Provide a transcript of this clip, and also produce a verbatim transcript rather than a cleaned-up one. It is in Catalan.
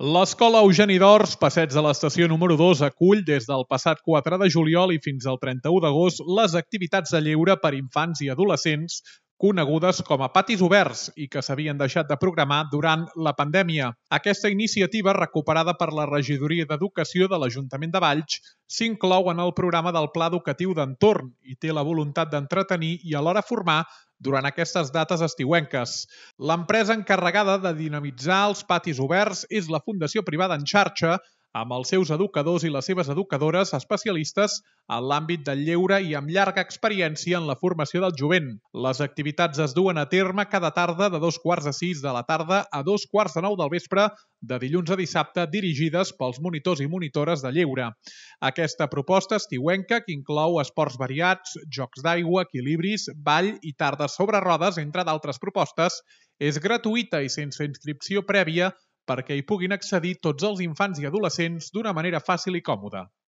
L'Escola Eugeni d'Ors, passeig de l'estació número dos, acull des del passat quatre de juliol i fins al trenta-u d'agost les activitats de lleure per infants i adolescents conegudes com a patis oberts i que s'havien deixat de programar durant la pandèmia. Aquesta iniciativa, recuperada per la Regidoria d'Educació de l'Ajuntament de Valls, s'inclou en el programa del Pla Educatiu d'Entorn i té la voluntat d'entretenir i alhora formar durant aquestes dates estiuenques. L'empresa encarregada de dinamitzar els patis oberts és la Fundació Privada en Xarxa, amb els seus educadors i les seves educadores especialistes en l'àmbit del lleure i amb llarga experiència en la formació del jovent. Les activitats es duen a terme cada tarda de dos quarts de sis de la tarda a dos quarts de nou del vespre, de dilluns a dissabte, dirigides pels monitors i monitores de lleure. Aquesta proposta estiuenca, que inclou esports variats, jocs d'aigua, equilibris, ball i tardes sobre rodes, entre d'altres propostes, és gratuïta i sense inscripció prèvia perquè hi puguin accedir tots els infants i adolescents d'una manera fàcil i còmoda.